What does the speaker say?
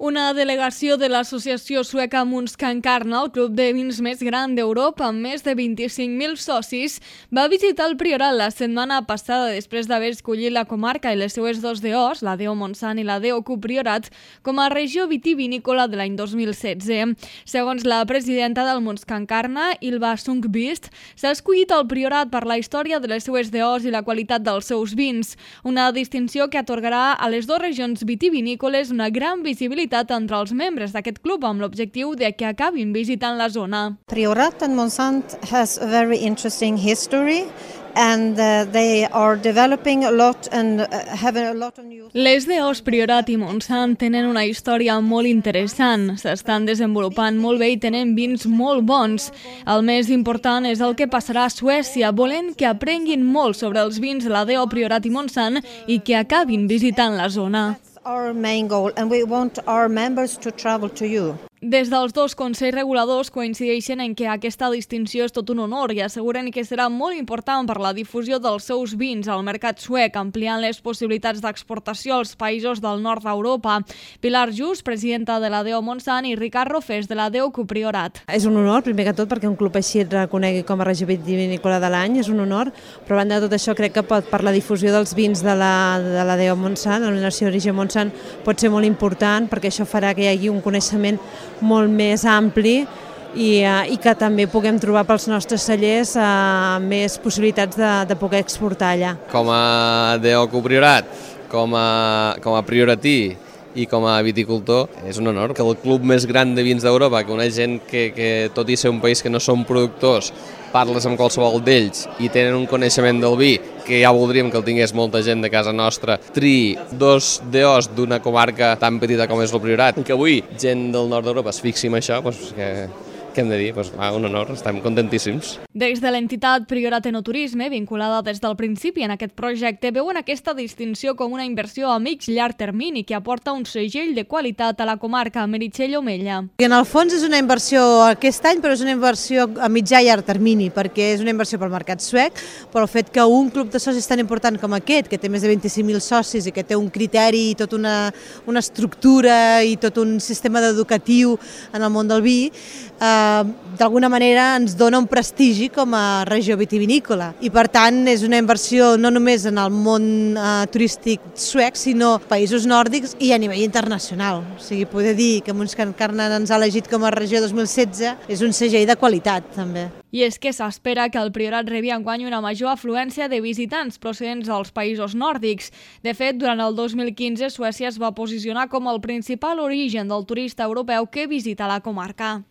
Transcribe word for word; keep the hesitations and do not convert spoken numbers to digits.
Una delegació de l'associació sueca Munskankarna, el club de vins més gran d'Europa amb més de vint-i-cinc mil socis, va visitar el Priorat la setmana passada després d'haver escollit la comarca i les seues dos D Os, la D O Montsant i la D O Q Priorat, com a regió vitivinícola de l'any dos mil setze. Segons la presidenta del Munskankarna, Ylva Sundqvist, s'ha escollit el Priorat per la història de les seues D Os i la qualitat dels seus vins, una distinció que atorgarà a les dues regions vitivinícoles una gran visibilitat entre els membres d'aquest club amb l'objectiu de que acabin visitant la zona. Priorat and Montsant has a very interesting history and uh, they are developing a lot and uh, have a lot of new... Les D Os Priorat i Montsant tenen una història molt interessant, s'estan desenvolupant molt bé i tenen vins molt bons. El més important és el que passarà a Suècia, volent que aprenguin molt sobre els vins de la D O Priorat i Montsant i que acabin visitant la zona. Our main goal, and we want our members to travel to you. Des dels dos consells reguladors coincideixen en que aquesta distinció és tot un honor i asseguren que serà molt important per la difusió dels seus vins al mercat suec, ampliant les possibilitats d'exportació als països del nord d'Europa. Pilar Just, presidenta de la D O Montsant, i Ricard Rofés, de la D O Q Priorat. És un honor, primer que tot, perquè un club així et reconegui com a regió vitivinícola de l'any, és un honor, però a banda de tot això crec que per la difusió dels vins de la, de la D O Montsant, la Denominació d'Origen Montsant, pot ser molt important perquè això farà que hi hagi un coneixement molt més ampli i, uh, i que també puguem trobar pels nostres cellers uh, més possibilitats de, de poder exportar allà. Com a D O Q Priorat, com a, com a prioratí i com a viticultor, és un honor que el club més gran de vins d'Europa, que una gent que, que tot i ser un país que no som productors, parles amb qualsevol d'ells i tenen un coneixement del vi que ja voldríem que el tingués molta gent de casa nostra, tri dos D Os d'una comarca tan petita com és el Priorat, i que avui gent del nord d'Europa es fixi en això, doncs que, què hem de dir? Doncs, va, un honor, estem contentíssims. Des de l'entitat Priorat Enoturisme, vinculada des del principi en aquest projecte, veuen aquesta distinció com una inversió a mig llarg termini que aporta un segell de qualitat a la comarca. Meritxell Omella. En el fons és una inversió aquest any, però és una inversió a mitjà i llarg termini, perquè és una inversió pel mercat suec, però el fet que un club de socis tan important com aquest, que té més de vint-i-cinc mil socis i que té un criteri i tota una, una estructura i tot un sistema educatiu en el món del vi, eh, d'alguna manera ens dona un prestigi com a regió vitivinícola i per tant és una inversió no només en el món eh, turístic suec sinó països nòrdics i a nivell internacional. O sigui, poder dir que Munskankarna ens ha elegit com a regió dos mil setze és un segell de qualitat també. I és que s'espera que el Priorat rebi enguany una major afluència de visitants procedents dels països nòrdics. De fet, durant el dos mil quinze Suècia es va posicionar com el principal origen del turista europeu que visita la comarca.